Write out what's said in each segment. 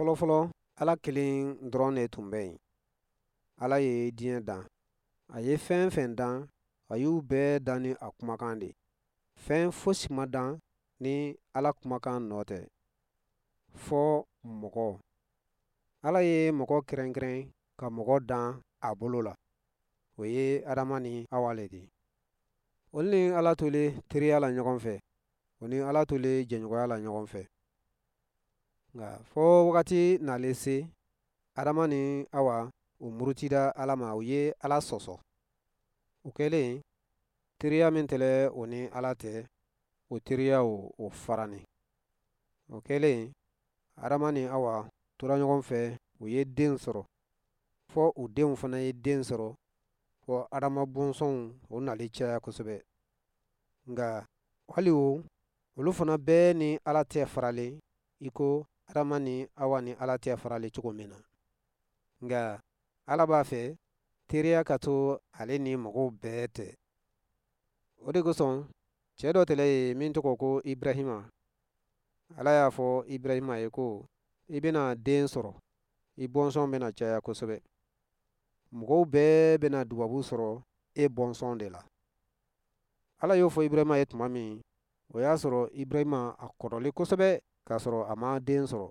Fɔlɔfɔlɔ, Ala kelen dɔrɔn de tun bɛ yen. Ala ye diɲɛ dan. A ye fɛn fɛn dan, a y'u bɛɛ dan ni a kumakan de ye. Fɛn fosi ma dan ni Ala kumakan nɔ tɛ, fɔ mɔgɔ. Ala ye mɔgɔ kɛrɛnkɛrɛn ka mɔgɔ dan a bolo la. O ye Adama ni Awa le di. Olu ni Ala tolen teriya la ɲɔgɔn fɛ, o ni Ala tolen jɛɲɔgɔnya la ɲɔgɔn fɛ. Nka fɔ wagati nalen se, Adama ni Awa u murutida Ala ma, u ye Ala sɔsɔ. O kɛlen, teriya min tɛlɛ o ni Ala tɛ, o teriya o farani. O kɛlen, Adama ni Awa tora ɲɔgɔn fɛ, u ye den sɔrɔ. Fɔ u denw fana ye den sɔrɔ, fɔ Adama bɔnsɔnw o nalen caya kosɛbɛ. Nka hali o, olu fana bɛɛ ni Ala tɛ faralen i ko Adama ni Awa ni Ala tɛ faralen cogo min na. Nka Ala b'a fɛ teriya ka to ale ni mɔgɔw bɛɛ tɛ. O de kosɔn cɛ dɔ tɛlɛ ye min tɔgɔ ko Ibrahima. Ala y'a fɔ Ibrahima ye ko i bɛna den sɔrɔ, i bɔnsɔn bɛna caya kosɛbɛ. Mɔgɔw bɛɛ bɛna dubabu sɔrɔ e bɔnsɔn de la. Ala y'o fɔ Ibrahima ye tuma min, o y'a sɔrɔ Ibrahima a kɔrɔlen kosɛbɛ k'a sɔrɔ a ma den sɔrɔ.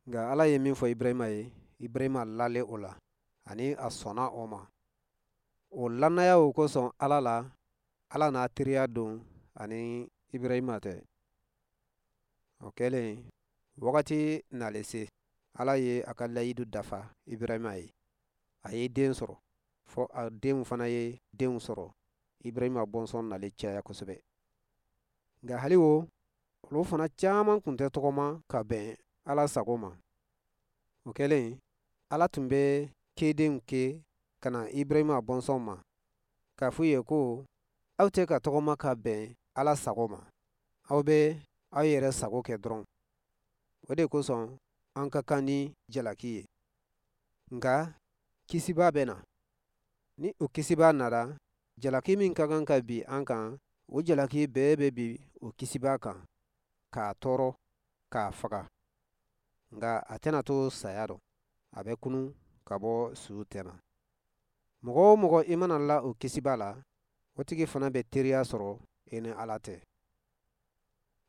Nka Ala ye min fɔ Ibrahima ye, Ibrahima lalen o la ani a sɔnna o ma. O lannaya o kosɔn Ala la, Ala n'a teriya don ani Ibrahima tɛ. O kɛlen, wagati nalen se, Ala ye a ka layidu dafa Ibrahima ye. A ye den sɔrɔ, fɔ a denw fana ye denw sɔrɔ. Ibrahima bɔnsɔn nalen caya kosɛbɛ. Nka hali o, olu fana caman tun tɛ tɔgɔma ka bɛn Ala sago ma. O kɛlen, Ala tun bɛ kedenw ke ka na Ibrahima bɔnsɔn ma, k'a f'u ye ko aw tɛ ka tɔgɔma ka bɛn Ala sago ma, aw bɛ aw yɛrɛ sago kɛ dɔrɔn. O de kosɔn an ka kan ni jalaki ye. Nka kisibaa bɛ na. Ni o kisibaa nara, jalaki min ka kan ka bin an kan, o jalaki bɛɛ bɛ bin o kisibaa kan, k'a tɔɔrɔ, k'a faga. Nka a tɛna to saya rɔ, a bɛ kunun ka bɔ suw tɛma. Mɔgɔ o mɔgɔ i mana la o kisibaa la, o tigi fana bɛ teriya sɔrɔ i ni Ala tɛ.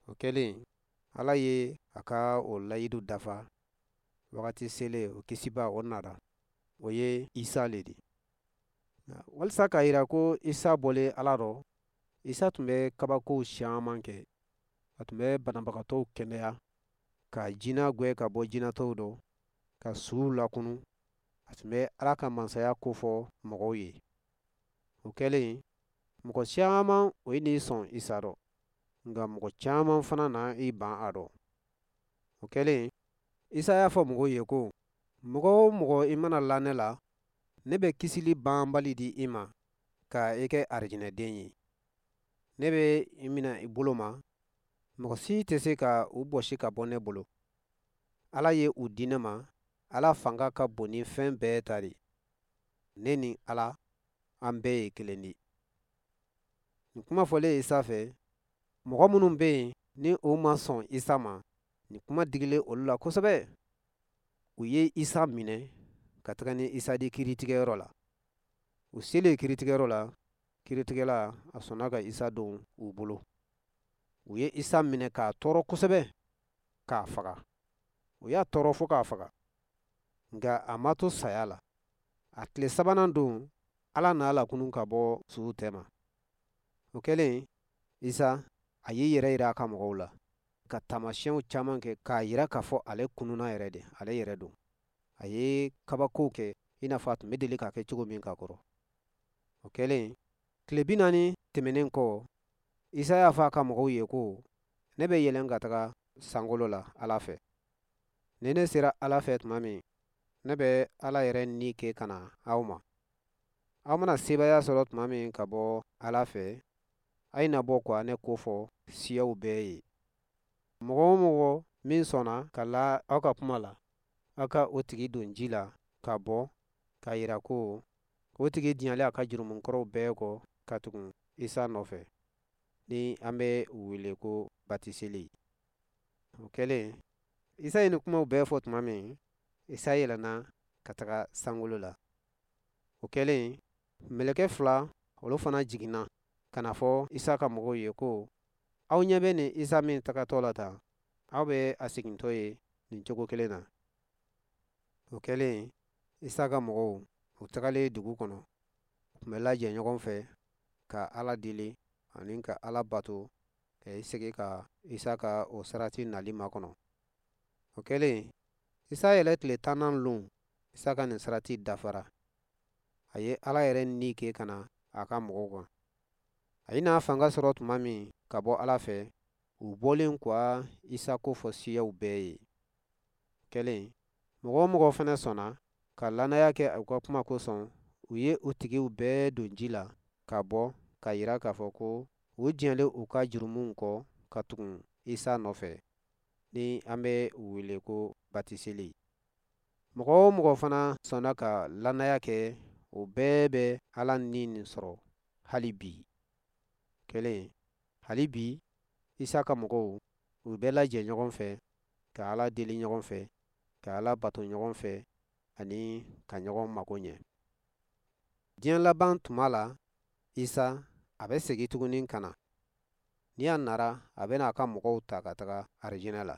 O kɛlen, Ala ye a ka o layidu dafa. Wagati selen, o kisibaa o nara. O ye Isa le di. Walisa k'a yira ko Isa bɔlen Ala rɔ, Isa tun bɛ kabakow caman kɛ. A tun bɛ banabagatɔw kɛnɛya, ka jinɛ gwɛn ka bɔ jinɛtɔw dɔ, ka suw lakunu. A tun bɛ Ala ka mansaya kofɔ mɔgɔw ye. O kɛlen, mɔgɔ caman o ye n'i sɔn Isa rɔ, nka mɔgɔ caman fana na i ban a rɔ. O kɛlen, Isa y'a fɔ mɔgɔw ye ko, mɔgɔ o mɔgɔ i mana la ne la, ne bɛ kisili banbali di i ma ka i kɛ arijinɛden ye. Ne bɛ i minɛ i bolo ma, mɔgɔ si tɛ se ka u bɔsi ka bɔ ne bolo. Ala ye u di ne ma, Ala fanga ka bon ni fɛn bɛɛ ta de. Ne ni Ala, an bɛɛ ye kelen di. Nin kuma fɔlen Isa fɛ, mɔgɔ minnu bɛ yen ni u ma sɔn Isa ma, nin kuma digilen olu la kosɛbɛ. U ye Isa minɛ ka taga ni Isa di kiritigɛyɔrɔ la. U selen kiritigɛyɔrɔ la, kiritigɛla a sɔnna ka Isa don u bolo. U ye Isa minɛ k'a tɔɔrɔ kosɛbɛ, k'a faga. U y'a tɔɔrɔ fo k'a faga. Nka a ma to saya la. A tile sabanan don, Ala n'a lakunun ka bɔ suw tɛma. O kɛlen, Isa a y'i yɛrɛ yira a ka mɔgɔw la, ka taamasiyɛnw caman kɛ k'a yira k'a fɔ ale kununna yɛrɛ de, ale yɛrɛ don. A ye kabakow kɛ i n'a fɔ a tun bɛ deli k'a kɛ cogo min ka kɔrɔ. O kɛlen, tile 40 tɛmɛnen kɔ, Isa y'a fɔ a ka mɔgɔw ye ko, ne bɛ yɛlɛn ka taga sankolo la Ala fɛ. Ni ne sera Ala fɛ tuma min, ne bɛ Ala yɛrɛ ni kɛ ka na aw ma. Aw mana sebaaya sɔrɔ tuma min ka bɔ Ala fɛ, a ye na bɔ ka ne ko fɔ siyaw bɛɛ ye. Mɔgɔ o mɔgɔ min sɔnna ka la aw ka kuma la, aw ka o tigi don ji la ka bɔ k'a yira ko o tigi diɲɛlen a ka jurumu kɔrɔw bɛɛ kɔ ka tugu Isa nɔfɛ, ni an bɛ o wele ko batiseli. O kɛlen, Isa ye nin kumaw bɛɛ fɔ tuma min, Isa yɛlɛnna ka taga sankolo la. O kɛlen, mɛlɛkɛ fila olu fana jiginna ka n'a fɔ Isa ka mɔgɔw ye ko, aw ɲɛ bɛ nin Isa min tagatɔ la tan, aw bɛ a segintɔ ye nin cogo kelen na. O kɛlen, Isa ka mɔgɔw u tagalen dugu kɔnɔ, u tun bɛ lajɛ ɲɔgɔn fɛ ka Ala deli ani ka Ala bato ka i sigi ka Isa ka o sarati nali makɔnɔ. O kɛlen, Isa yɛlɛ tile tannan lon, Isa ka nin sarati dafara. A ye Ala yɛrɛ ni kɛ ka na a ka mɔgɔw kan. A ye n'a fanga sɔrɔ tuma min ka bɔ Ala fɛ, u bɔlen ka Isa ko fɔ siyaw bɛɛ ye. Kɛlen, mɔgɔ o mɔgɔ fana sɔnna ka lannaya kɛ u ka kuma kosɔn, u ye u tigiw bɛɛ don ji la ka bɔ ka yira k'a fɔ ko u jɛlen u ka jurumuw kɔ ka tugun Isa nɔfɛ, ni an bɛ u wele ko batiseli. Mɔgɔ o mɔgɔ fana sɔnna ka lannaya kɛ, o bɛɛ bɛ Ala ni nin sɔrɔ hali bi. Kelen, hali bi Isa ka mɔgɔw u bɛ lajɛ ɲɔgɔn fɛ ka Ala deli ɲɔgɔn fɛ, ka Ala bato ɲɔgɔn fɛ ani ka ɲɔgɔn mago ɲɛ. Diɲɛ laban tuma la, Isa a bɛ segin tuguni ka na. Ni a nara, a bɛna a ka mɔgɔw ta ka taga arijinɛ la,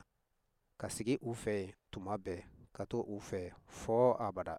ka sigi u fɛ yen tuma bɛɛ, ka to u fɛ fɔ abada.